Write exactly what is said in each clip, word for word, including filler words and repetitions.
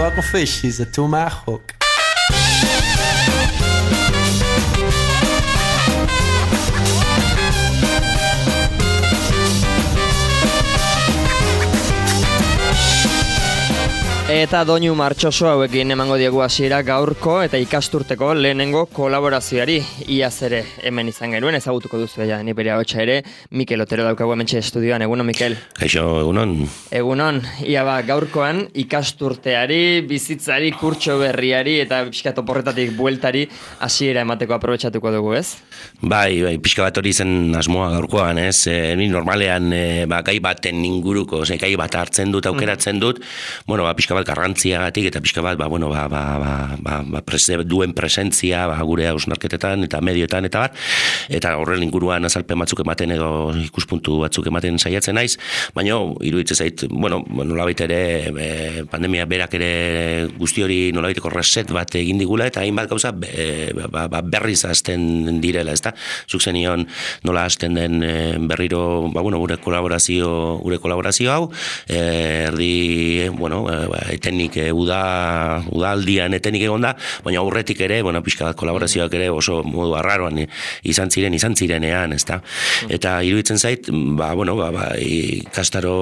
Bucklefish is a tomahawk. Eta doinu martxoso hauekin emango diegu hasiera gaurko eta ikasturteko lehenengo kolaborazioari. Iaz ere hemen izan genuen, ezagutuko duzu ja, ni bere ahotsa ere, Mikel Otero daukagu hementxe estudioan. Egunon, Mikel? Kaixo, egunon. Egunon, ia ba, gaurkoan ikasturteari, bizitzari, kurtso berriari eta pixka toporretatik bueltari hasiera emateko aprobetxatuko dugu, ez? Bai, bai, pixka bat hori zen asmoa gaurkoan, ez? E, ni normalean e, ba, gai baten inguruko, ze, gai bat hartzen dut, aukeratzen dut, bueno, ba, pixka bat garrantziagatik eta pixka bat, ba, bueno, ba, ba, ba, ba, ba prese, duen presentzia ba, gure hausnarketetan eta medioetan eta bat, eta horren inguruan azalpen batzuk ematen edo ikuspuntu batzuk ematen saiatzen naiz, baina iruditzen zait, bueno, nolabait ere e, pandemia berak ere guzti hori nolabaiteko reset bat egin digula eta hainbat gauza e, ba, ba, berriz hasten direla, ezta? Zuk zenion nola hasten den e, berriro, ba, bueno, gure kolaborazio, gure kolaborazio hau, e, erdi, bueno, e, etenik e, uda, udaldian etenik egon da, baina aurretik ere, bueno, pixka bat kolaborazioak ere oso modu arraroan izan ziren, izan zirenean, ezta? Eta iruditzen zait, ba, bueno, ba, ba, ikastaro,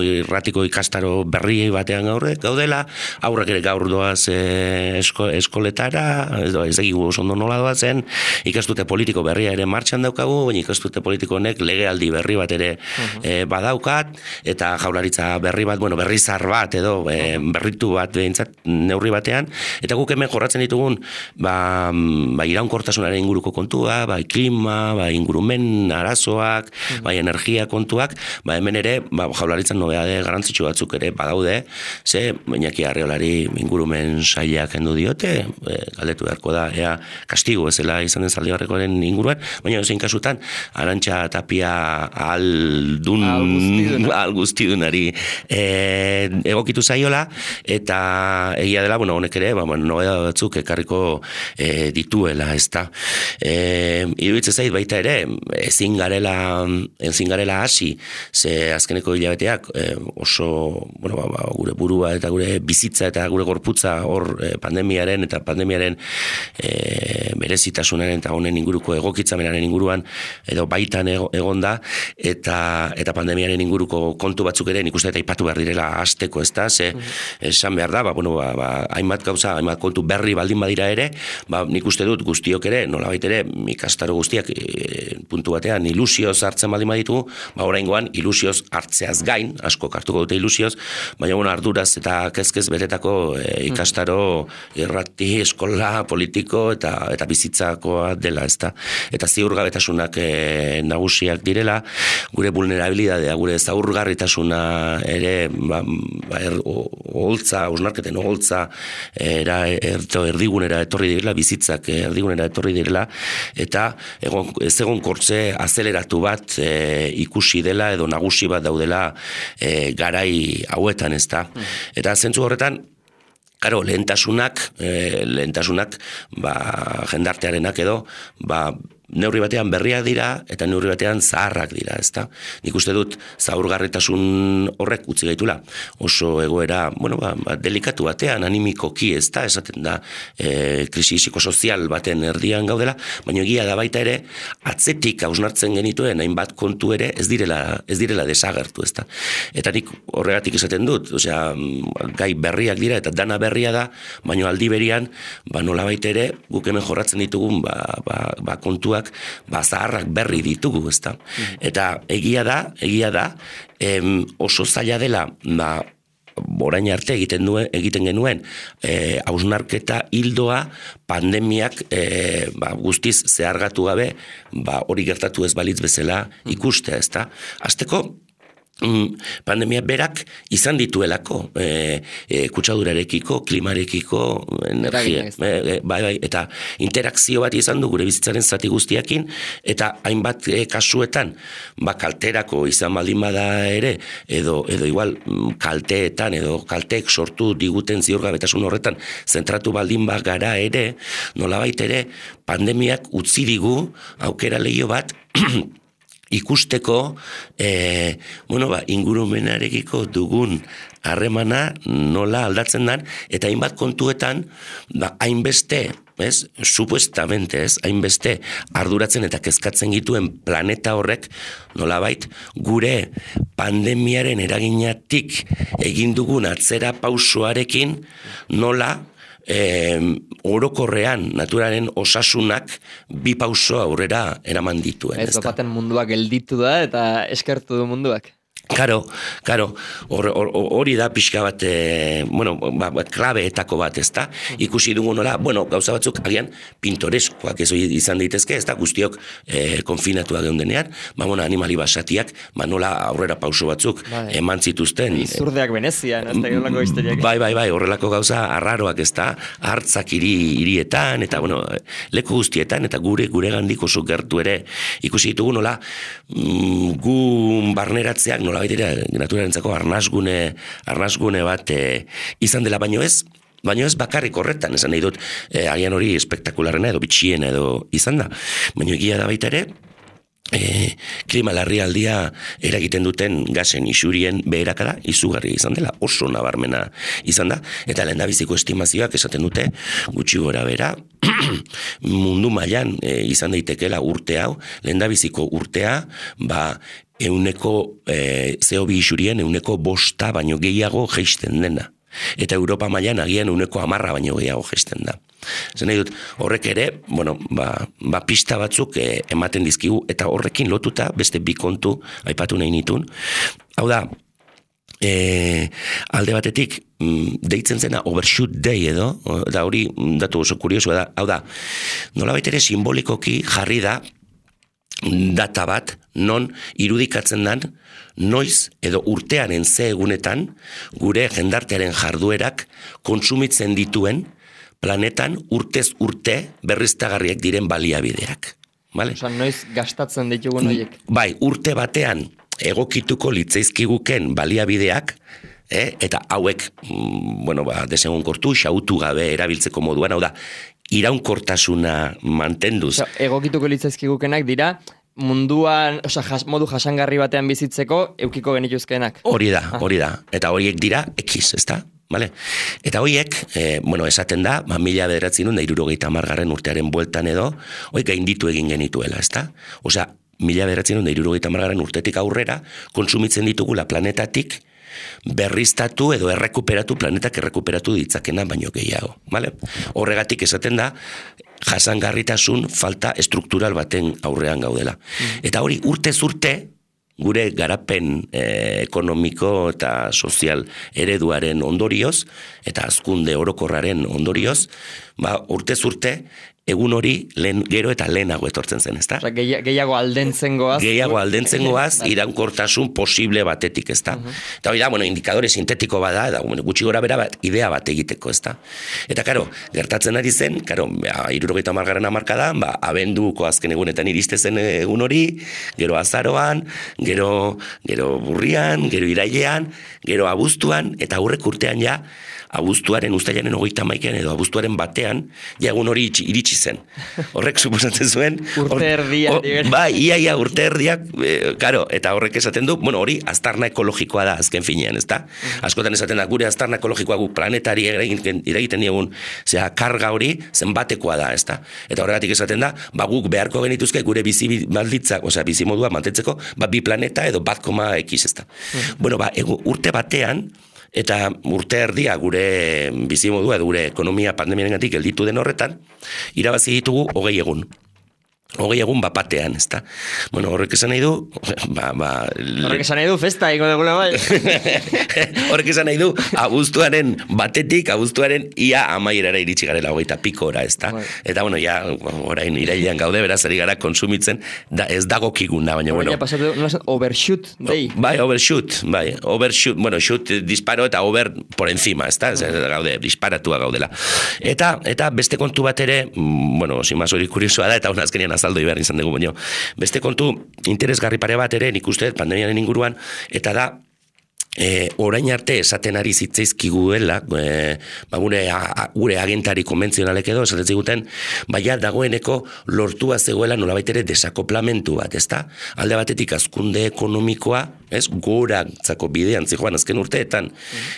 irratiko ikastaro berri batean gaur, gaudela, aurrak ere gaur doaz e, esko, eskoletara, ez, ez egigu oso ondo nola doazen, ikastute politiko berria ere martxan daukagu, baina ikastute politiko honek legealdi berri bat ere uh-huh. e, badaukat, eta jaurlaritza berri bat, bueno, berri zar bat edo, e, berritu bat behintzat neurri batean, eta guk hemen jorratzen ditugun ba, ba iraunkortasunaren inguruko kontua, ba klima, ba ingurumen arazoak, mm. ba energia kontuak, ba hemen ere ba jaurlaritzan nobeade garrantzitsu batzuk ere badaude, ze Iñaki Arriolari ingurumen sailak kendu diote, e, galdetu beharko da ea kastigo ezela izan den Zaldibarrekoaren inguruan, baina zein kasutan Arantxa Tapia aldun al guztidunari e, egokitu zaiola, eta egia dela, bueno, honek ere, ba, nobeda batzuk ekarriko e, dituela, ezta. E, iruditzen zait baita ere, ezin garela, ezin garela hasi, ze azkeneko hilabeteak e, oso, bueno, ba, ba, gure burua eta gure bizitza eta gure gorputza hor e, pandemiaren eta pandemiaren e, berezitasunaren eta honen inguruko egokitzamenaren inguruan edo baitan egonda eta eta pandemiaren inguruko kontu batzuk ere nik uste eta ipatu behar direla hasteko, ezta, ze esan behar da, ba, bueno, ba, ba, hainbat gauza, hainbat kontu berri baldin badira ere, ba, nik uste dut guztiok ere, nolabait ere, ikastaro guztiak e, puntu batean ilusioz hartzen baldin baditu, ba, oraingoan ilusioz hartzeaz gain, asko hartuko dute ilusioz, baina bueno, arduraz eta kezkez betetako e, ikastaro irrati, eskola, politiko eta eta bizitzakoa dela, ezta. Eta ziurgabetasunak e, nagusiak direla, gure vulnerabilidadea, gure zaurgarritasuna ere, ba, ba, er, oholtza, osnarketen oholtza era erto erdigunera etorri direla, bizitzak erdigunera etorri direla, eta egon, ez egon kortze azeleratu bat e, ikusi dela edo nagusi bat daudela e, garai hauetan, ezta. Eta zentzu horretan, Karo, lehentasunak, eh, lehentasunak, ba, jendartearenak edo, ba, neurri batean berriak dira eta neurri batean zaharrak dira, ezta? Nik uste dut zaurgarritasun horrek utzi gaitula oso egoera, bueno, ba, ba, delikatu batean, animikoki, ezta, esaten da, e, krisi psikosozial baten erdian gaudela, baina egia da baita ere, atzetik hausnartzen genituen hainbat kontu ere ez direla, ez direla desagertu, ezta? Eta nik horregatik esaten dut, osea, gai berriak dira eta dana berria da, baina aldi berian, ba, nolabait ere, guk hemen jorratzen ditugun, ba, ba, ba kontua ba, zaharrak berri ditugu, ezta. Eta egia da, egia da, em, oso zaila dela, ba, orain arte egiten duen, egiten genuen eh, hausnarketa hildoa pandemiak eh, ba, guztiz zehargatu gabe, ba, hori gertatu ez balitz bezala ikustea, ezta. Hasteko, pandemia berak izan dituelako e, e, kutsadurarekiko, klimarekiko, energia, e, e, bai, bai, eta interakzio bat izan du gure bizitzaren zati guztiakin, eta hainbat e, kasuetan, ba, kalterako izan baldin bada ere, edo, edo igual kalteetan, edo kalteek sortu diguten ziurgabetasun horretan, zentratu baldin bat gara ere, nolabait ere, pandemiak utzi digu aukera lehio bat, ikusteko e, bueno, ba, ingurumenarekiko dugun harremana nola aldatzen dan, eta hainbat kontuetan ba, hainbeste, ez, supuestamente, ez, hainbeste arduratzen eta kezkatzen gituen planeta horrek nolabait gure pandemiaren eraginatik egin dugun atzera pausoarekin nola E, orokorrean naturaren osasunak bi pauso aurrera eraman dituen. Ez baten munduak gelditu da eta eskertu du munduak. Karo, karo, hori or, or, da pixka bat, e, bueno, ba, ba, klabeetako bat, ez da? Ikusi dugu nola, bueno, gauza batzuk agian pintoreskoak ez izan daitezke, ez da? Guztiok e, konfinatuak geundenean, ba, bueno, animali basatiak, ba, nola aurrera pauso batzuk bai. Eman zituzten. Izurdeak Venezian, ez da horrelako histeriak. Bai, bai, bai, horrelako gauza arraroak, ez da? Hartzak hiri, hirietan, eta, bueno, leku guztietan, eta gure, gure gandik oso gertu ere, ikusi ditugu nola, mm, gu barneratzeak, nola baitera, naturarentzako arnasgune, arnasgune bat e, izan dela, baino ez, baino ez bakarrik horretan, esan nahi dut, e, agian hori espektakularrena edo bitxiena edo izan da, baino egia da baita ere, e, klima larrialdia eragiten duten gasen isurien beherakada izugarri izan dela, oso nabarmena izan da, eta lehendabiziko estimazioak esaten dute, gutxi gora bera, mundu mailan e, izan daitekeela urte hau, lehendabiziko urtea, ba, euneko e, C O bi isurien euneko bosta baino gehiago jeisten dena. Eta Europa mailan agian euneko hamarra baino gehiago jeisten da. Zer nahi dut, horrek ere, bueno, ba, ba pista batzuk e, ematen dizkigu, eta horrekin lotuta beste bi kontu aipatu nahi nitun. Hau da, e, alde batetik, deitzen zena overshoot day edo, da hori datu oso kuriosua da, hau da, nolabait ere simbolikoki jarri da data bat, non irudikatzen dan, noiz edo urtearen ze egunetan gure jendartearen jarduerak kontsumitzen dituen planetan urtez urte berriztagarriak diren baliabideak. Vale? Osa, noiz gastatzen ditugun horiek? Bai, urte batean egokituko litzaizkiguken baliabideak, eh, eta hauek, mm, bueno, ba, desegonkortu, xautu gabe erabiltzeko moduan, hau da, iraunkortasuna mantenduz. Osa, egokituko litzaizkigukenak dira, munduan, osa, jas, modu jasangarri batean bizitzeko eukiko genituzkenak. Hori da, hori da. Eta horiek dira X, ezta? Vale? Eta horiek, eh, bueno, esaten da, ba, mila bederatzen da hirurogeita hamargarren urtearen bueltan edo, horiek gainditu egin genituela, ezta? Osea, mila bederatzen da hirurogeita hamargarren urtetik aurrera, kontsumitzen ditugula planetatik, berriztatu edo errekuperatu planetak errekuperatu ditzakena baino gehiago, vale? Horregatik esaten da jasangarritasun falta estruktural baten aurrean gaudela. Mm. Eta hori urtez urte gure garapen eh, ekonomiko eta sozial ereduaren ondorioz eta hazkunde orokorraren ondorioz, ba urtez urte egun hori lehen, gero eta lehenago etortzen zen, ezta? Osa, gehiago aldentzen goaz. Gehiago aldentzen goaz, iraunkortasun posible batetik, ezta? Uh-huh. Eta hori da, bueno, indikadore sintetiko bada, eta bueno, gutxi gora bera bat, idea bat egiteko, ezta? Eta, karo, gertatzen ari zen, karo, hirurogeita hamargarren hamarkadan, ba, abenduko azken egunetan iriste zen egun hori, gero azaroan, gero, gero burrian, gero irailean, gero abuztuan, eta aurrek urtean ja, abuztuaren, uztailaren hogeita hamaikean edo abuztuaren batean, ja egun hori iritsi zen. Horrek suposatzen zuen... urte erdiak. Bai, ia, ia, urte erdiak, e, karo, eta horrek esaten du, bueno, hori aztarna ekologikoa da azken finean, ezta? Askotan esaten da, gure aztarna ekologikoa gu planetari iragiten diegun, zera, karga hori zenbatekoa da, ezta? Eta horregatik esaten da, ba, guk beharko genituzke gure bizi balditzak, osea, bizi modua mantentzeko, ba, bi planeta edo bat koma X, ezta? Bueno, ba, egu, urte batean, eta urte erdia gure bizimodua edo gure ekonomia pandemiarengatik gelditu den horretan, irabazi ditugu hogei egun. Hogei egun bapatean, ezta? Bueno, horrek esan nahi du... Ba, ba, horrek esan nahi du festa, iko degula bai. Horrek esan nahi du abuztuaren batetik, abuztuaren ia amaierara iritsi garela, hogeita pikora, ezta? Bai. Eta, bueno, ja, orain irailean gaude, beraz, ari gara konsumitzen, da, ez dagokiguna, baina, bueno... Baina pasatu, no, overshoot, dei. Bai, overshoot, bai, overshoot, bueno, shoot disparo eta over por encima, ezta? Ez, gaude, disparatua gaudela. Eta, eta beste kontu bat ere, bueno, simaz hori kuriosoa da, eta hona azkenian azaldo behar izan dugu, baino. Beste kontu interesgarri pare bat ere, nik uste pandemiaren inguruan, eta da, E, orain arte esaten ari zitzaizkiguela, e, ba, gure, a, gure agentari konbentzionalek edo, esaten ziguten, baina dagoeneko lortua zegoela nolabait ere desakoplamentu bat, ezta? Alde batetik hazkunde ekonomikoa, ez, gorantzako bidean zijoan azken urteetan,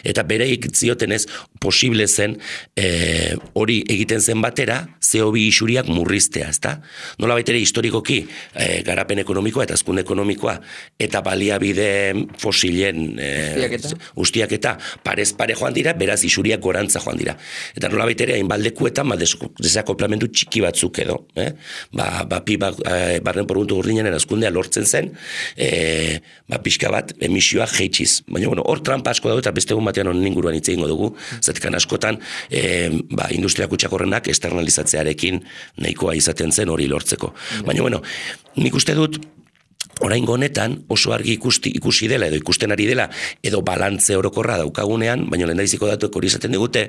eta bereik zioten ez, posible zen e, hori egiten zen batera, C O bi isuriak murriztea, ezta? Nolabait ere historikoki e, garapen ekonomikoa eta hazkunde ekonomikoa eta baliabide fosilen e, ustiak eta parez pare joan dira, beraz isuriak gorantza joan dira. Eta nolabait ere hainbaldekuetan ba, desakoplamentu txiki batzuk edo, eh? ba, ba, pi, ba, e, barren porguntu gordinaren hazkundea lortzen zen, e, ba, pixka bat emisioa jeitxiz. Baina, bueno, hor trampa asko dago eta beste egun batean honen inguruan hitz egingo dugu, zatekan askotan e, ba, industria kutsakorrenak externalizatzearekin nahikoa izaten zen hori lortzeko. Baina, bueno, nik uste dut, oraingo honetan oso argi ikusti, ikusi dela edo ikusten ari dela edo balantze orokorra daukagunean, baina lehendabiziko datuek hori izaten digute,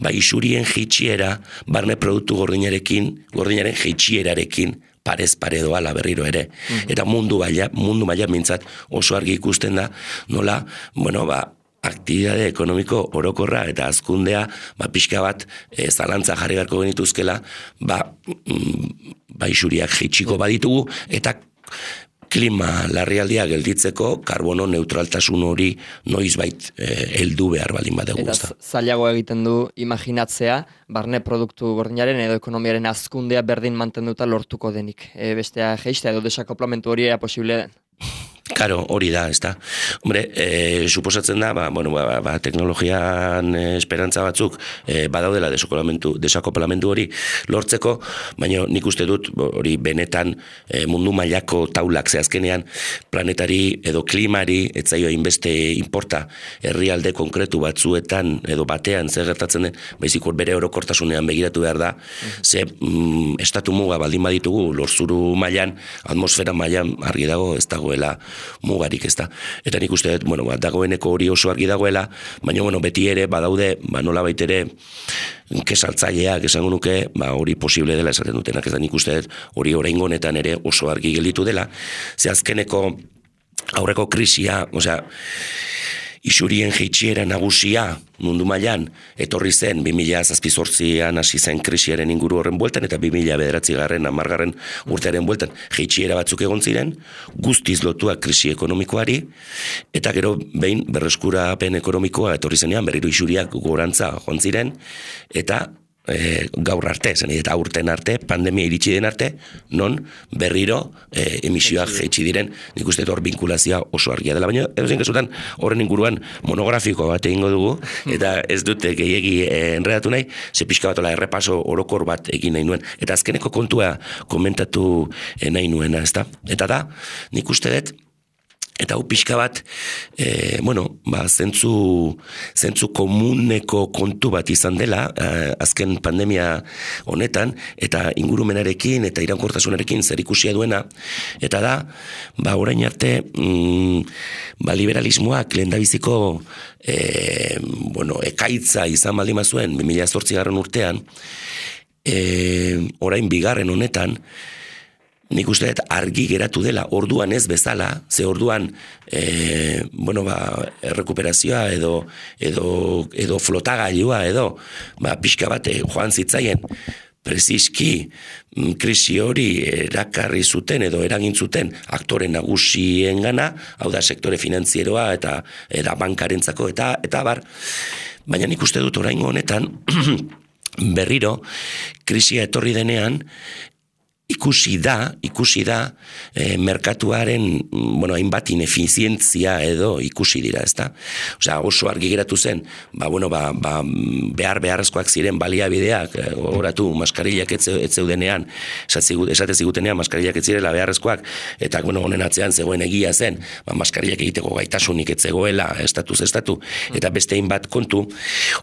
ba isurien jeitsiera barne produktu gordinarekin, gordinaren jeitsierarekin parez pare doala berriro ere. Mm-hmm. Eta mundu maila, mundu maila mintzat oso argi ikusten da, nola, bueno, ba, aktibitate ekonomiko orokorra eta hazkundea ba pixka bat e, zalantza jarri beharko genituzkela, ba, mm, ba isuriak jeitsiko baditugu eta klima larrialdia gelditzeko karbono neutraltasun hori noizbait eh, heldu behar baldin badugu. Eta zailago egiten du imaginatzea, barne produktu gordinaren edo ekonomiaren hazkundea berdin mantenduta lortuko denik. E, bestea jeistea edo desakoplamentu hori ea posible den. Karo, hori da, ez da. Hombre, e, suposatzen da, ba, bueno, ba, ba, teknologian e, esperantza batzuk e, badaudela desakoplamentu hori lortzeko, baina nik uste dut hori benetan e, mundu mailako taulak zehazkenean planetari edo klimari etzaio hainbeste inporta herrialde konkretu batzuetan edo batean zer gertatzen den, baizik hor bere orokortasunean begiratu behar da, ze mm, estatu muga baldin baditugu lorzuru mailan, atmosfera mailan argi dago ez dagoela mugarik, ez da. Eta nik uste, bueno, ba, dagoeneko hori oso argi dagoela, baina, bueno, beti ere, badaude, ba, nola baitere, kesaltzaileak esango nuke, ba, hori posible dela esaten dutenak, ez da, nik uste, hori oraingo honetan ere oso argi gelditu dela, ze azkeneko aurreko krisia, osea, isurien jeitsiera nagusia mundu mailan etorri zen bi mila zazpizortzian hasi zen krisiaren inguru horren bueltan eta bi mila bederatzigarren hamargarren urtearen bueltan jeitsiera batzuk egon ziren, guztiz lotuak krisi ekonomikoari eta gero behin berreskurapen ekonomikoa etorri zenean berriro isuriak gorantza joan ziren eta E, gaur arte, zen, eta aurten arte, pandemia iritsi den arte, non berriro e, emisioak jeitsi diren, nik uste hor binkulazioa oso argia dela, baina edo zen kesutan horren inguruan monografiko bat egingo dugu, eta ez dute gehiegi e, enredatu nahi, ze pixka batola errepaso orokor bat egin nahi nuen, eta azkeneko kontua komentatu e, nahi nuena, ezta? Eta da, nik uste dut, eta hau pixka bat, e, bueno, ba, zentzu, zentzu komuneko kontu bat izan dela, e, azken pandemia honetan, eta ingurumenarekin eta iraunkortasunarekin zer ikusia duena, eta da, ba, orain arte, mm, ba, liberalismoak lehendabiziko, e, bueno, ekaitza izan baldin bazuen, bi mila zortzigarren urtean, e, orain bigarren honetan, nik uste dut argi geratu dela, orduan ez bezala, ze orduan e, bueno, ba, errekuperazioa edo, edo, edo flotagailua edo, ba, pixka bate joan zitzaien, preziski krisi hori erakarri zuten edo eragin zuten aktore nagusien gana, hau da sektore finanzieroa eta, eta bankarentzako eta, eta bar, baina nik uste dut oraingo honetan berriro krisia etorri denean, ikusi da, ikusi da, e, merkatuaren, bueno, hainbat inefizientzia edo ikusi dira, ezta? Osea, oso argi geratu zen, ba, bueno, ba, ba, behar beharrezkoak ziren baliabideak, oratu maskarillak ez zeudenean, esate zigutenean maskarillak ez zirela beharrezkoak, eta, bueno, honen atzean zegoen egia zen, ba, maskarillak egiteko gaitasunik ez zegoela, estatuz estatu, eta beste hainbat kontu,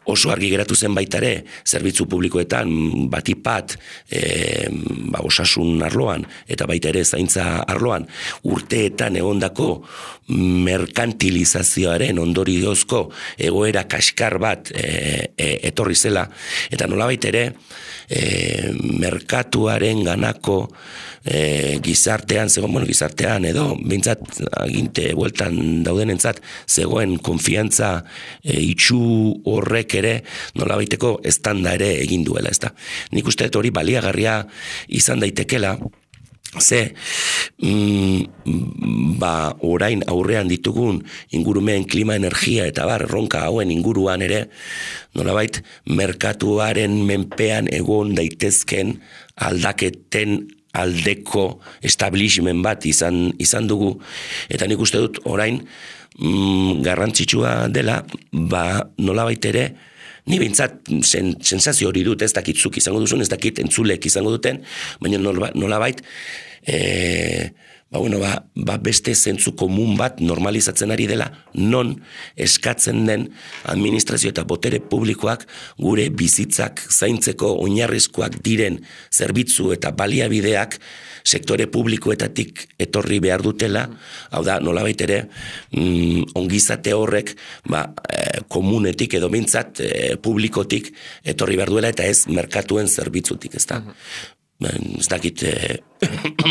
oso argi geratu zen baitare, zerbitzu publikoetan, batipat, e, ba, osasun osasun arloan, eta baita ere zaintza arloan, urteetan egondako merkantilizazioaren ondoriozko egoera kaskar bat e, e, etorri zela, eta nolabait ere e, merkatuaren ganako e, gizartean, zegoen, bueno, gizartean edo, bintzat, aginte bueltan daudenentzat, zegoen konfiantza e, itxu horrek ere nolabaiteko estanda ere egin duela, ezta. Nik uste hori baliagarria izan daitekela, ze mm, ba orain aurrean ditugun ingurumen, klima, energia eta bar erronka hauen inguruan ere nolabait merkatuaren menpean egon daitezken aldaketen aldeko establishment bat izan izan dugu, eta nik uste dut orain mm, garrantzitsua dela, ba nolabait ere ni bintzat sen, sensazio hori dut, ez dakit zuk izango duzun, ez dakit entzulek izango duten, baina nolabait e, ba, bueno, ba, ba beste zentzu komun bat normalizatzen ari dela, non eskatzen den administrazio eta botere publikoak gure bizitzak zaintzeko oinarrizkoak diren zerbitzu eta baliabideak sektore publikoetatik etorri behar dutela, hau da, nolabait ere, mm, ongizate horrek, ba, e, komunetik edo bintzat e, publikotik etorri behar duela, eta ez merkatuen zerbitzutik, ez da. Ben, ez dakit... E...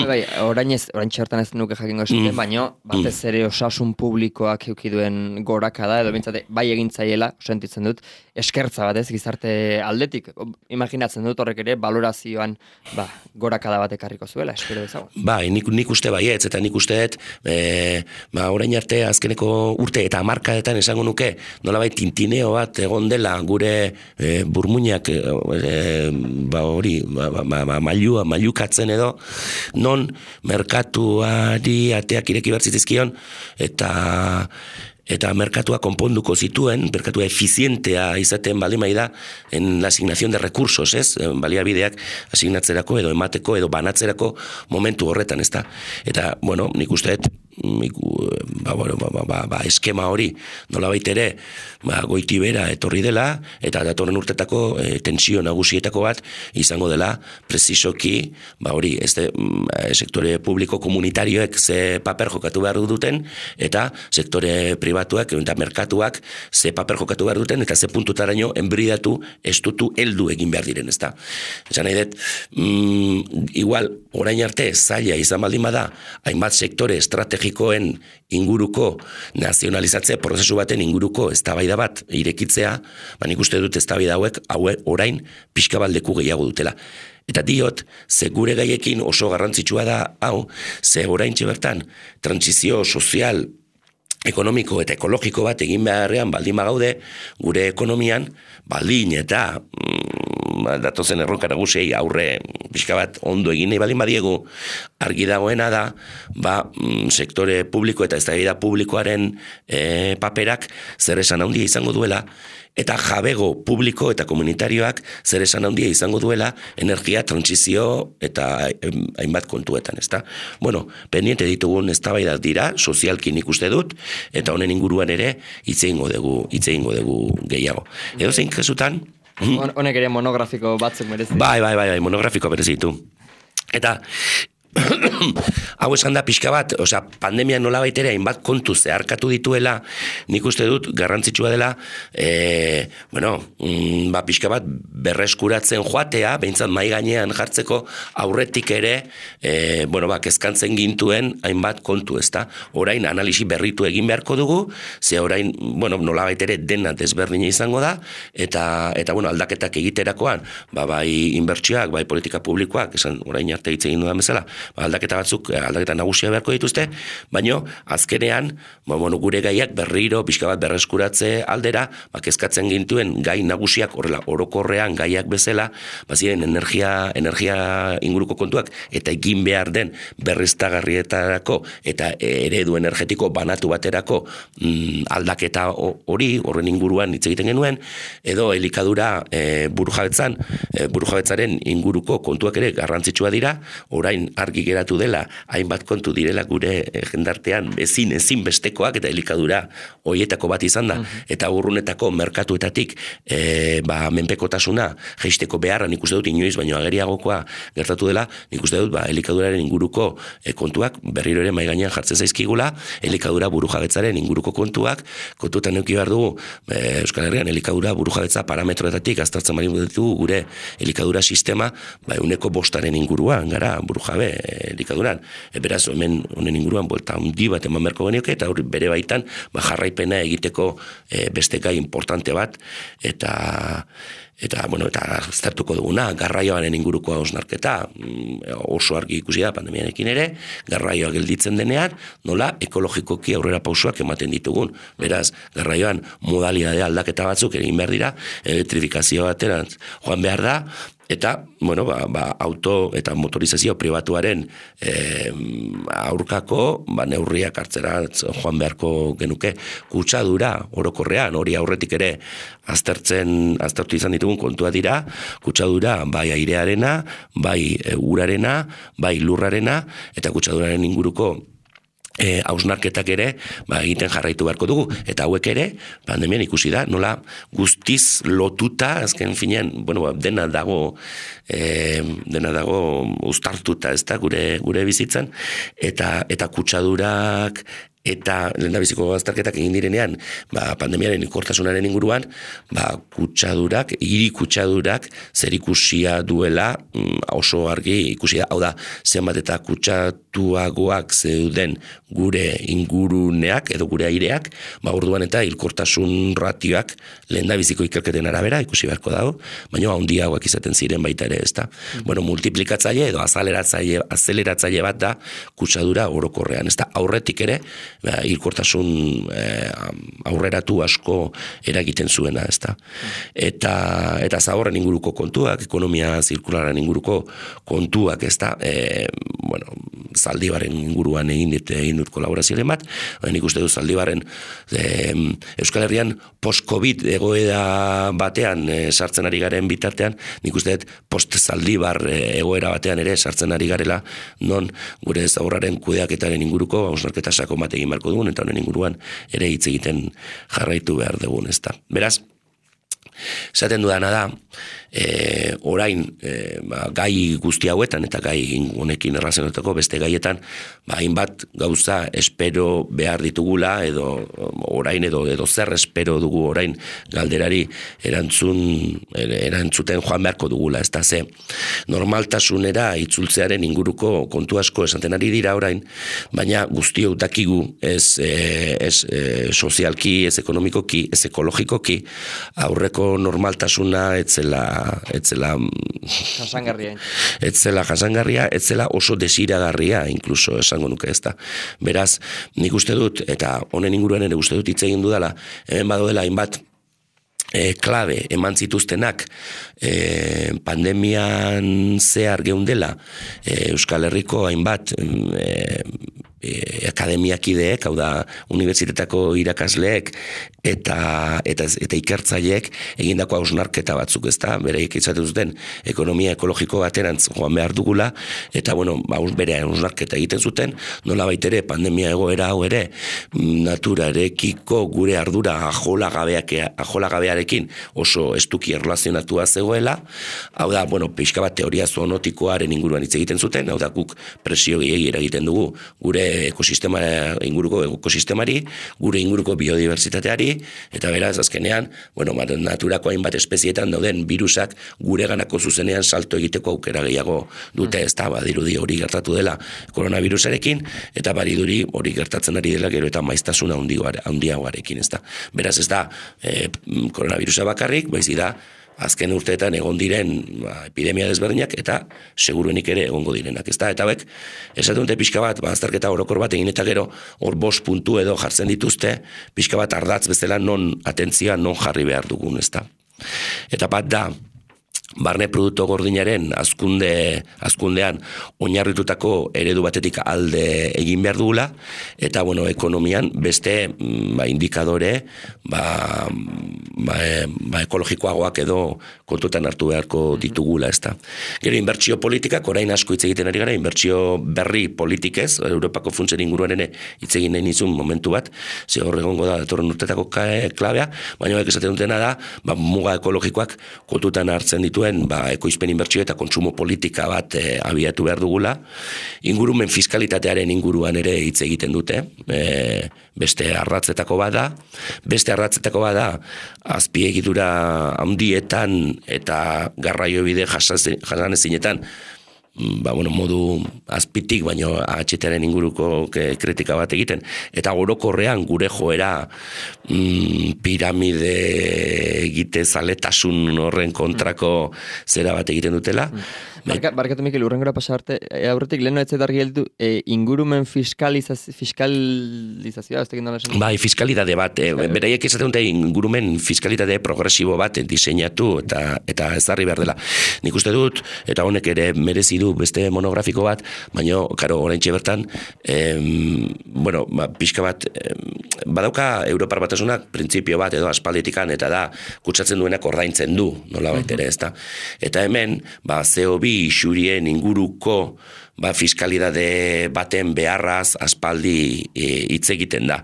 bai, orain ez, orain txertan ez nuke jakingo esaten, mm. baina batez ere osasun publikoak eukiduen gorakada, edo bintzate, bai egintzaiela, sentitzen dut, eskertza bat ez, gizarte aldetik. Imaginatzen dut horrek ere, valorazioan ba, gorakada bat ekarriko zuela, espero dezago. Bai, nik, nik uste baietz, eta nik uste dut, e, ba, orain arte azkeneko urte eta hamarkadetan esango nuke, nolabait tintineo bat egon dela gure e, burmuinak, e, ba hori, ba, ba, ba, mailua, mailukatzen edo, non merkatuari ateak ireki behar zitizkion, eta eta merkatua konponduko zituen, merkatua efizientea izaten baldin da en la asignación de recursos, ez? Baliabideak asignatzerako edo emateko edo banatzerako momentu horretan, ezta? Eta, bueno, nik uste dut, ba, bueno, ba, ba, ba, eskema hori nolabait ere ba, goiti bera etorri dela, eta datorren urtetako e, tensio nagusietako bat izango dela presisoki, ba hori, ez de, sektore publiko komunitarioek ze paper jokatu behar duten, eta sektore pribatuak eta merkatuak ze paper jokatu behar duten, eta ze puntutaraino enbridatu, estutu, heldu egin behar diren, ezta. Esan nahi dut, mm, igual, orain arte zaila izan baldin bada, hainbat sektore estrategikoen inguruko nazionalizatze prozesu baten inguruko eztabaida bat irekitzea, ba nik uste dut eztabaida hauek haue orain pixka bat leku gehiago dutela. Eta diot, ze gure gaiekin oso garrantzitsua da hau, ze oraintxe bertan trantsizio sozial, ekonomiko eta ekologiko bat egin beharrean baldin bagaude, gure ekonomian baldin eta mm, datozen erronka nagusiei aurre pixka bat ondo egin nahi baldin badiegu, argi dagoena da, ba, sektore publiko eta eztabaida publikoaren e, paperak zer esan handia izango duela, eta jabego publiko eta komunitarioak zer esan handia izango duela energia trantsizio eta hainbat kontuetan, ezta? Bueno, pendiente ditugun eztabaidak dira, sozialki nik uste dut, eta honen inguruan ere hitz egingo dugu, hitz egingo dugu gehiago. Edo zein kasutan, honek ere monografiko batzuk merezi. Bai, bai, bai, bai, monografiko merezitu. Eta hau esan da pixka bat, osea, pandemia nola baitere hainbat kontu zeharkatu dituela, nik uste dut garrantzitsua dela, e, bueno, mm, ba, pixka bat berreskuratzen joatea, behintzat mai gainean jartzeko aurretik ere, e, bueno, ba, kezkantzen gintuen hainbat kontu, ezta? Orain analisi berritu egin beharko dugu, ze orain, bueno, nola baitere dena desberdina izango da, eta, eta bueno, aldaketak egiterakoan, ba, bai inbertsioak, bai politika publikoak, esan orain arte hitz egin dudan bezala, aldaketa batzuk, aldaketa nagusia beharko dituzte, baino azkenean, ba, bueno, gure gaiak berriro pixka bat berreskuratze aldera, ba, kezkatzen gintuen gai nagusiak horrela orokorrean gaiak bezala, ba, ziren energia, energia inguruko kontuak, eta egin behar den berriztagarrietarako eta eredu energetiko banatu baterako mm, aldaketa hori, horren inguruan hitz egiten genuen, edo elikadura e, burujabetzan, e, burujabetzaren inguruko kontuak ere garrantzitsua dira, orain arte argi geratu dela, hainbat kontu direla gure jendartean ezin ezin bestekoak eta elikadura hoietako bat izan da, eta urrunetako merkatuetatik e, ba, menpekotasuna jeisteko beharra nik uste dut inoiz, baino ageriagokoa gertatu dela, nik uste dut ba, elikaduraren inguruko e, kontuak berriro ere mahai gainean jartzen zaizkigula, elikadura burujabetzaren inguruko kontuak, kontuetan eduki behar dugu, e, Euskal Herrian elikadura burujabetza parametroetatik aztertzen bari ditugu gure elikadura sistema, ba, euneko bostaren inguruan, gara, burujabe elikaduran. E, beraz, hemen honen inguruan, buelta handi bat eman berko genioke, eta hori bere baitan, ba, jarraipena egiteko e, beste gai importante bat, eta eta, bueno, eta aztertuko duguna, garraioaren inguruko hausnarketa, oso argi ikusi da pandemiarekin ere, garraioa gelditzen denean, nola ekologikoki aurrera pausoak ematen ditugun. Beraz, garraioan modalidade aldaketa batzuk egin behar dira, elektrifikazio baterantz joan behar da, eta, bueno, ba, ba, auto eta motorizazio pribatuaren e, aurkako ba, neurriak hartzera joan beharko genuke kutsadura orokorrean, hori aurretik ere aztertzen, aztertu izan ditugun kontua dira, kutsadura bai airearena, bai e, urarena, bai lurrarena, eta kutsaduraren inguruko E, hausnarketak ere ba, egiten jarraitu beharko dugu, eta hauek ere pandemian ikusi da, nola guztiz lotuta, azken finean, bueno, ba, dena dago e, dena dago uztartuta, ez da, gure, gure bizitzan, eta, eta kutsadurak eta lehendabiziko azterketak egin direnean, ba, pandemiaren ikortasunaren inguruan, ba, kutsadurak, hiri kutsadurak zerikusia duela oso argi ikusi da. Hau da, zenbat eta kutsatuagoak zeuden gure inguruneak edo gure aireak, ba, orduan eta hilkortasun ratioak lehendabiziko ikerketen arabera ikusi beharko dago, baina handiagoak izaten ziren baita ere, ezta. Mm. Bueno, multiplikatzaile edo azeleratzaile, azeleratzaile bat da kutsadura orokorrean, ezta. Aurretik ere, ba, hilkortasun eh, aurreratu asko eragiten zuena, ezta. Eta eta zaborren inguruko kontuak, ekonomia zirkulararen inguruko kontuak, ezta. Eh, bueno, Zaldibaren inguruan egin dit egin dut kolaborazioaren bat, nik uste dut Zaldibarren eh, Euskal Herrian post-Covid egoera batean eh, sartzen ari garen bitartean, nik uste dut post-Zaldibar eh, egoera batean ere sartzen ari garela, non gure zaborraren kudeaketaren inguruko hausnarketa sakon bat egin beharko dugun, eta honen inguruan ere hitz egiten jarraitu behar dugun, ezta. Beraz, esaten dudana da, e, orain e, ba, gai guzti hauetan eta gai honekin erlazionatuko beste gaietan, ba, hainbat gauza espero behar ditugula, edo orain edo edo zer espero dugu orain galderari erantzun erantzuten joan beharko dugula, ez da ze normaltasunera itzultzearen inguruko kontu asko esaten ari dira orain, baina guztiok dakigu ez, e, ez e, sozialki, ez ekonomikoki, ez ekologikoki aurreko normaltasuna etzela etzela jasangarria. Etzela jasangarria, etzela oso desiragarria incluso esango nuke, ezta. Beraz, nik uste dut eta honen inguruan ere uste dut hitz egin dudala, hemen badoela hainbat E, klabe eman zituztenak e, pandemian zehar geundela e, Euskal Herriko hainbat e, e, akademiakideek, hau da unibertsitetako irakasleek eta, eta, eta ikertzaileek egindako hausnarketa batzuk, ezta, bereik izaten zuten ekonomia ekologiko baterantz joan behar dugula, eta bueno, bere hausnarketa egiten zuten, nola baitere pandemia egoera hau ere naturarekiko gure ardura ajolagabeak, ajolagabearekin oso estuki erlazionatua zegoela, hau da, bueno, pixka bat teoria zoonotikoaren inguruan hitz egiten zuten, hau da, guk presio gehiagia eragiten dugu gure ekosistema inguruko ekosistemari, gure inguruko biodiversitateari, eta beraz, azkenean, bueno, naturako hainbat espezietan dauden virusak gure ganako zuzenean salto egiteko aukera gehiago dute, ez da, badirudi hori gertatu dela koronavirusarekin, eta badirudi hori gertatzen ari dela gero eta maiztasuna handiagoarekin, ez da. Beraz, ez da, e, koronavirusa bakarrik, baizik da, azken urteetan egon diren ba, epidemia desberdinak eta seguruenik ere egongo direnak, ezta? Eta hauek, esaten dute pixka bat, ba, azterketa orokor bat egin eta gero hor bost puntu edo jartzen dituzte, pixka bat ardatz bezala non atentzioa non jarri behar dugun, ezta? Eta bat da, barne produktu gordinaren azkunde, azkundean oinarritutako eredu batetik alde egin behar dugula, eta bueno, ekonomian beste ba, indikadore ba, ba, ba, ekologikoagoak edo kontutan hartu beharko ditugula, ezta. Gero, inbertsio politikak, orain asko hitz egiten ari gara, inbertsio berri politikez, Europako funtsen inguruan ere hitz egin nahi nizun momentu bat, ze hor egongo da datorren urtetako klabea, baina esaten dutena da, ba, muga ekologikoak kontutan hartzen ditu ba, ekoizpen inbertsio eta kontsumo politika bat e, abiatu behar dugula. Ingurumen fiskalitatearen inguruan ere hitz egiten dute, e, beste arratzetako bada, beste arratzetako bada azpiegitura handietan eta garraiobide jasanezinetan, ba, bueno, modu azpitik, baino atxetaren inguruko kritika bat egiten, eta orokorrean gure joera mm, piramide egite zaletasun horren kontrako zera bat egiten dutela. Barka, barkatu Mikel, urrengora pasa arte, e, aurretik lehen ez argi heldu, e, ingurumen fiskalizaz, fiskalizazioa, ez tekin dala esan? Bai, fiskalidade bat, e, beraiek esaten dute ingurumen fiskalidade progresibo bat diseinatu eta eta ezarri behar dela. Nik uste dut, eta honek ere merezi du beste monografiko bat, baina, karo, oraintxe bertan, em, bueno, ba, pixka bat, em, badauka Europar Batasunak printzipio bat edo aspalditikan, eta da, kutsatzen duenak ordaintzen du, nola baitere, ez da. Eta hemen, ba, C O bi isurien inguruko ba, fiskalidade baten beharraz aspaldi hitz e, egiten da.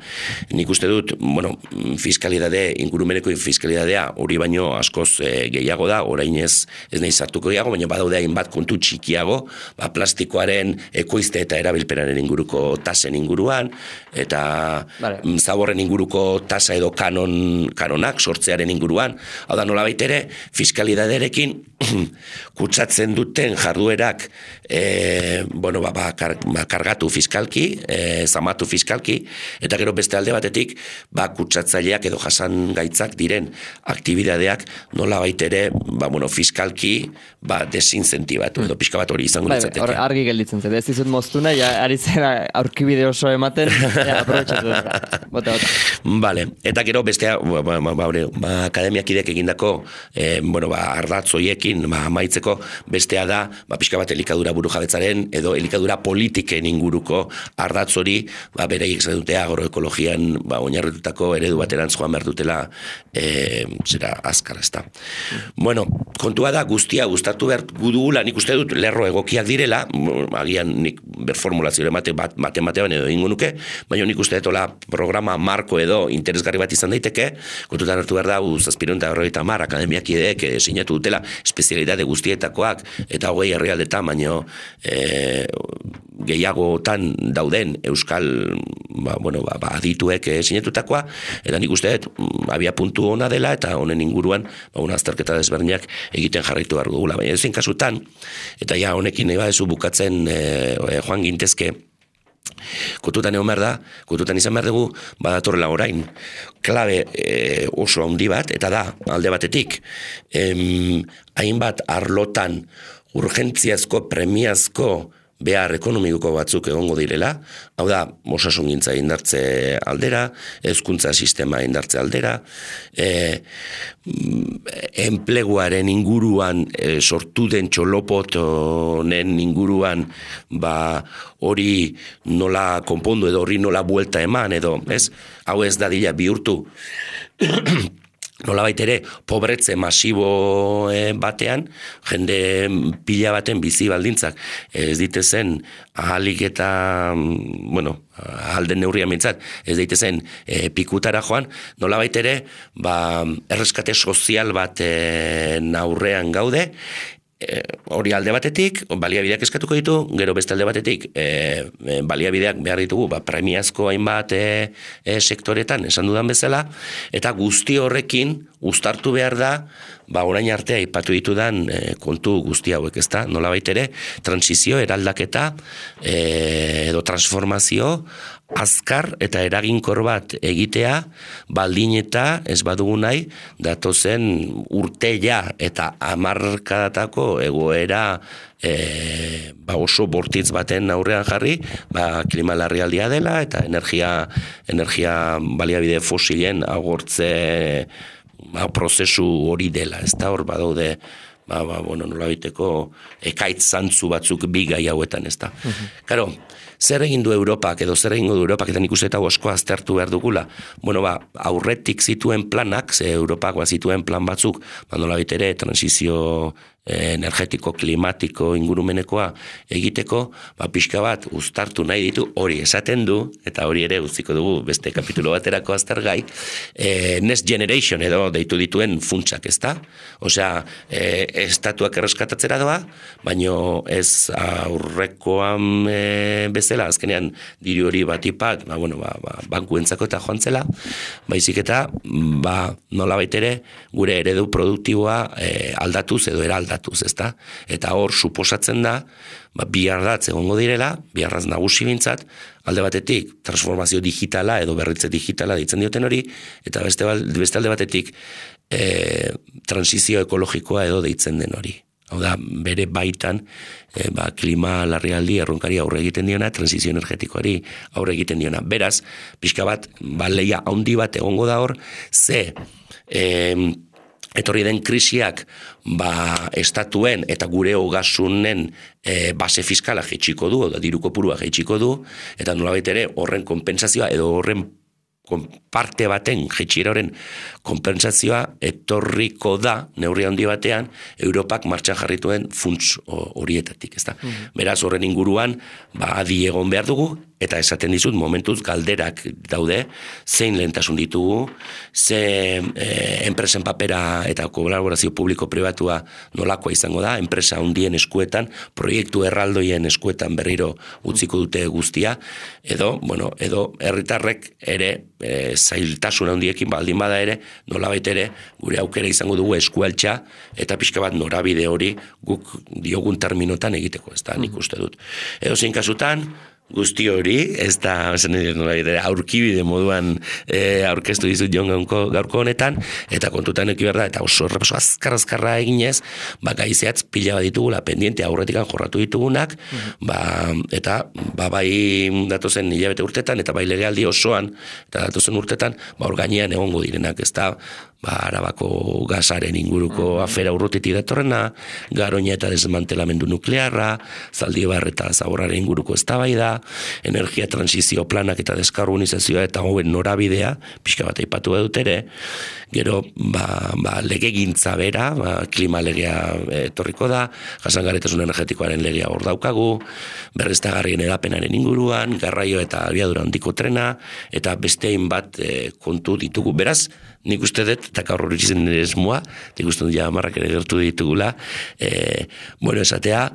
Nik uste dut, bueno, fiskalidade, ingurumeneko fiskalidadea hori baino askoz e, gehiago da, orain ez, ez nahi sartuko gehiago, baina badaude hainbat kontu txikiago, ba, plastikoaren ekoizte eta erabilpenaren inguruko tasen inguruan, eta vale. Zaborren inguruko tasa edo kanon, kanonak sortzearen inguruan, hau da nola baitere, fiskalidaderekin kutsatzen duten jarduerak e, bueno, ba, ba, kar, ba, kargatu fiskalki, e, zamatu fiskalki, eta gero beste alde batetik, ba, kutsatzaileak edo jasan gaitzak diren aktibidadeak nola baitere, ba, bueno, fiskalki, ba, desincentibatu, edo pixka bat hori izango nintzateke. Bai, argi gelditzen zen, ez dizut moztuna, ja, ari zera aurkibide oso ematen, ja, aprobetxatu da. Bota, bota. Vale, eta gero bestea, ba, ba, ba, ba, akademiakidek egindako, eh, bueno, ba, ardatz hoiekin, ba, amaitzeko, bestea da, ba, pixka bat elikadura burujabetzaren, edo elikadura politiken inguruko ardatz hori, ba, bereiek zen dute agroekologian ba, oinarritutako eredu baterantz joan behar dutela e, zera azkar, ez da. Bueno, kontua da guztia gustatu behar gudugula, nik uste dut lerro egokiak direla, agian nik berformulazio mate bat, mate batean edo ingo nuke, baina nik uste dut programa marko edo interesgarri bat izan daiteke, kontutan hartu behar da, zazpireun eta horreita mar, akademiakideek e, sinatu dutela espezialidade guztietakoak, eta hogei herrialdetan, baino e, gehiagotan dauden euskal ba, bueno, ba, ba, adituek eh, sinetutakoa, eta nik uste dut abia puntu ona dela, eta honen inguruan ba, una azterketa desberdinak egiten jarraitu behar dugula. Baina ezin kasutan, eta ja honekin nahi badezu bukatzen eh, joan gintezke, kontutan egon behar da, kontutan izan behar dugu, badatorrela orain, klabe e, oso handi bat, eta da, alde batetik, em, hainbat arlotan urgentziazko, premiazko behar ekonomiko batzuk egongo direla, hau da, osasungintza indartze aldera, hezkuntza sistema indartze aldera, e, enpleguaren inguruan e, sortu den txolopotonen inguruan ba, hori nola konpondu edo hori nola buelta eman edo, ez? Hau ez da dila bihurtu nola baitere, pobretze masibo batean, jende pila baten bizi baldintzak ez ditezen ahalik eta, bueno, alden neurria mintzat, ez daitezen e, pikutara joan, nola baitere, ba, erreskate sozial bat e, aurrean gaude, E, hori alde batetik, baliabideak eskatuko ditu, gero beste alde batetik, e, e, baliabideak behar ditugu, ba, premiazko hainbat e, e, sektoretan, esan dudan bezala, eta guzti horrekin, uztartu behar da, ba, orain artea ipatu ditudan e, kontu guzti hauek, ezta, nola baitere, transizio, eraldaketa, e, edo transformazio, azkar eta eraginkor bat egitea, baldin eta ez badugu nahi, datozen urteia eta hamarkadatako egoera e, ba oso bortitz baten aurrean jarri, ba klima larrialdia dela eta energia, energia baliabide fosilen agortze ba, prozesu hori dela, ez da hor badaude ba, ba, bueno, nola biteko ekaitz zantzu batzuk bi gai hauetan, ez da. Karo, zer egin du Europak, edo zer egin du Europak, eta nik uste eta osko aztertu behar dugula. Bueno, ba, aurretik zituen planak, ze Europak ba, zituen plan batzuk, ba, nola bitere, transizio energetiko, klimatiko, ingurumenekoa egiteko, ba, pixka bat uztartu nahi ditu, hori esaten du, eta hori ere utziko dugu beste kapitulo baterako aztergai, e, Next Generation edo deitu dituen funtsak, ez da? Osea, e, estatuak erreskatatzera doa, baino ez aurrekoan e, bezala, azkenean diru hori batipat, ba, bueno, ba, ba, bankuentzako eta joan zela, baizik eta, ba, nola baitere, gure eredu produktiboa e, aldatuz edo eraldatuz. Ezta? Eta hor suposatzen da, ba, bi ardatz egongo direla, bi ardatz nagusi bintzat, alde batetik transformazio digitala edo berritze digitala ditzen dioten hori, eta beste, beste alde batetik e, transizio ekologikoa edo deitzen den hori. Hau da, bere baitan e, ba, klima larrialdi erronkari aurre egiten diona, transizio energetikoari aurre egiten diona. Beraz, pixka bat, ba, leia handi bat egongo da hor, ze e, etorri den krisiak ba, estatuen eta gure ogasunen e, base fiskala jaitsiko du, da diru kopurua jaitsiko du, eta nolabait ere horren konpentsazioa edo horren parte baten, jaitsiera horren konpentsazioa etorriko da, neurri handi batean, Europak martxan jarrituen funts horietatik, ezta. Mm-hmm. Beraz, horren inguruan, ba, adi egon behar dugu, eta esaten dizut, momentuz galderak daude, zein lehentasun ditugu, ze e, enpresen papera eta kolaborazio publiko-pribatua nolakoa izango da, enpresa handien eskuetan, proiektu erraldoien eskuetan berriro utziko dute guztia, edo, bueno, edo herritarrek ere e, zailtasun handiekin baldin bada ere, nolabait ere, gure aukera izango dugu eskualtza, eta pixka bat norabide hori guk diogun terminotan egiteko, ez da, nik uste dut. Edo zein kasutan, guzti hori, ez da aurkibide moduan e, aurkeztu dizut jon gaurko honetan, eta kontutan eki behar da, eta oso errepaso azkar-azkarra eginez, ba, gaizeatz pila bat ditugula, pendiente aurretikan jorratu ditugunak, mm-hmm. ba, eta ba, bai datozen hilabete urtetan, eta bai legealdi osoan, eta datozen urtetan, ba, hor gainean egongo direnak, ez da, ba, Arabako gasaren inguruko afera urrutitik datorrena, Garoña eta desmantelamendu nuklearra, Zaldibar eta Zaborraren inguruko eztabaida, energia transizio planak eta deskarbonizazioa eta hauen norabidea, pixka bat aipatu dut ere, gero ba, ba, legegintza bera, ba, klima legea etorriko da, jasangarritasun energetikoaren legea hor daukagu, berriztagarrien edapenaren inguruan, garraio eta abiadura handiko trena, eta bestein bat e, kontu ditugu. Beraz, nik uste dut, eta gaur hori zen nire esmoa, nik uste dut ja marrak ere gertu ditugula, e, bueno, esatea,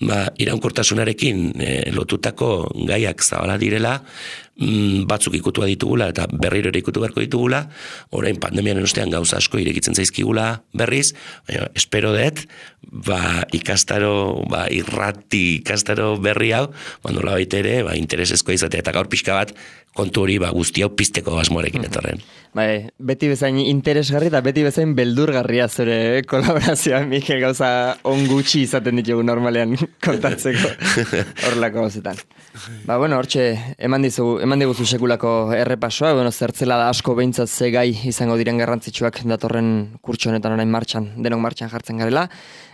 ba, iraunkortasunarekin e, lotutako gaiak zabala direla, mm, batzuk ikutua ditugula, eta berriro ere ikutu beharko ditugula, orain pandemiaren ostean gauza asko irekitzen zaizkigula berriz, baina, espero dut, ba, ikastaro, ba, irrati ikastaro berri hau, bando labait ere, ba, interesezkoa izatea, eta gaur pixka bat, kontu hori ba, guzti hau pizteko asmoarekin etorren. Bai, beti bezain interesgarri eta beti bezain beldurgarria zure kolaborazioa, Mikel, gauza on gutxi izaten ditugu normalean kontatzeko horrelako gauzetan. Ba, bueno, hortxe, eman dizugu, eman diguzu sekulako errepasoa, bueno, zertzela da asko behintzat ze gai izango diren garrantzitsuak datorren kurtso honetan orain martxan, denok martxan jartzen garela.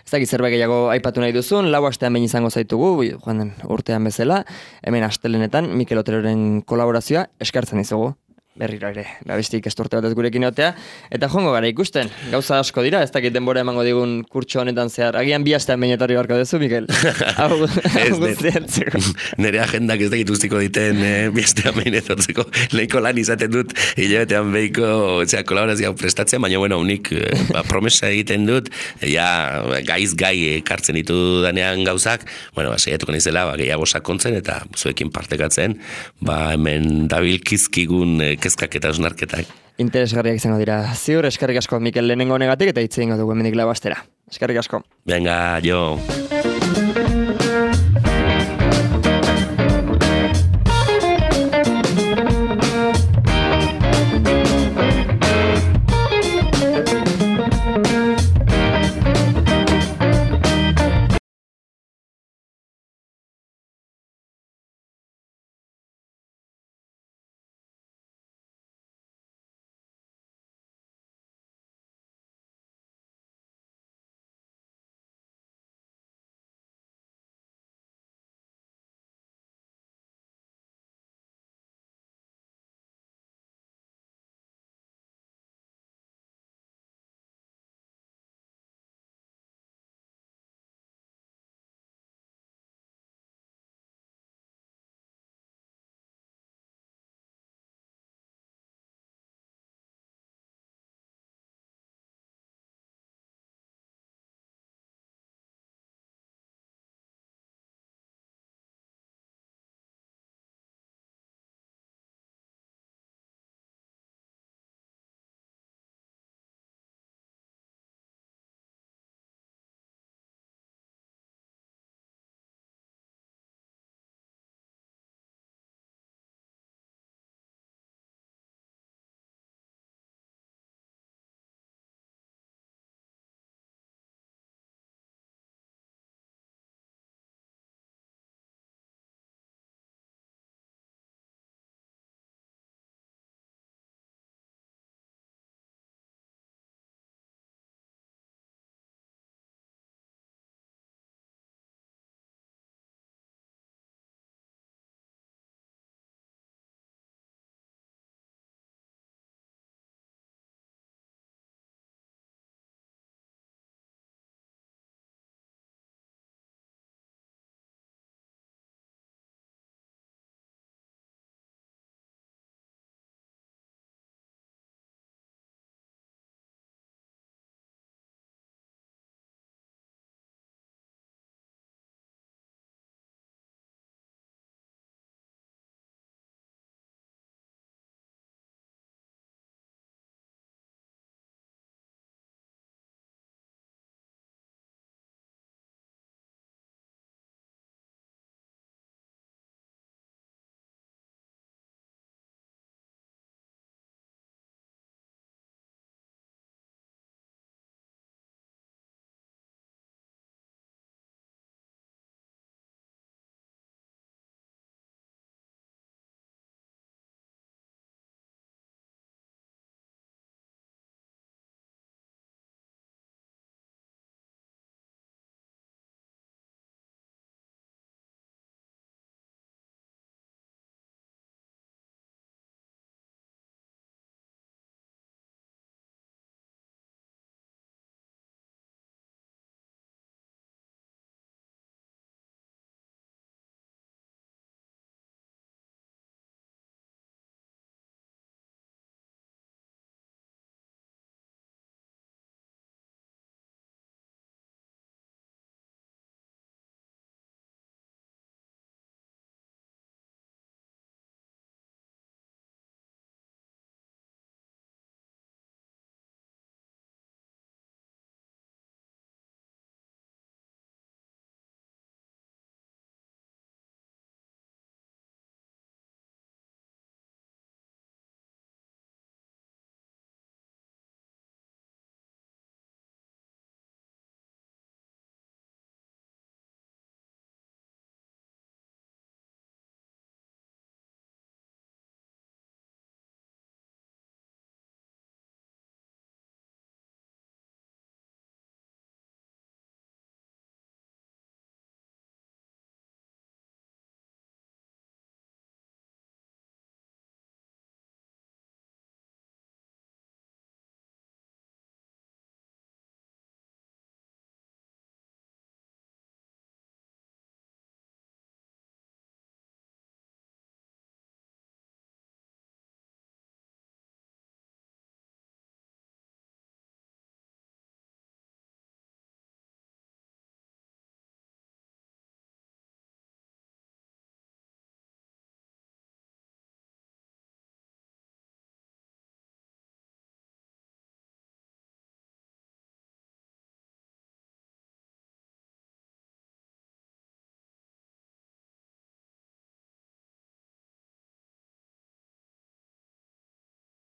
Ez dakit zerbait gehiago aipatu nahi duzun, lau astean behin izango zaitugu, joan den urtean bezala, hemen astelenetan Mikel Oteroren kolaborazioa eskartzen dizugu. Berriro ere, babestik estorte batez gurekin otea, eta joango gara ikusten, gauza asko dira, ez dakit denbora emango digun kurtso honetan zehar, agian bi astean behin etorri barko dezu, Mikel? Hau guztientzeko. Nire agendak ez dakit guztiko diten eh, bi astean behin etortzeko, lehiko lan izaten dut, hilabetean behiko kolaborazioa prestatzen, baina bueno, unik eh, ba, promesa egiten dut, ja, gaiz gai ekartzen ditu danean gauzak, bueno, ba, saiatuko nizela, ba, gehiago sakontzen, eta zuekin partekatzen, ba, hemen dabilkizkigun eh, kezkak eta osnarketak. Interesgarriak izango dira. Ziur, eskerrik asko Mikel lehenengo honegatik eta hitz egingo dugu hemendik lau astera. Eskerrik asko. Venga, jo.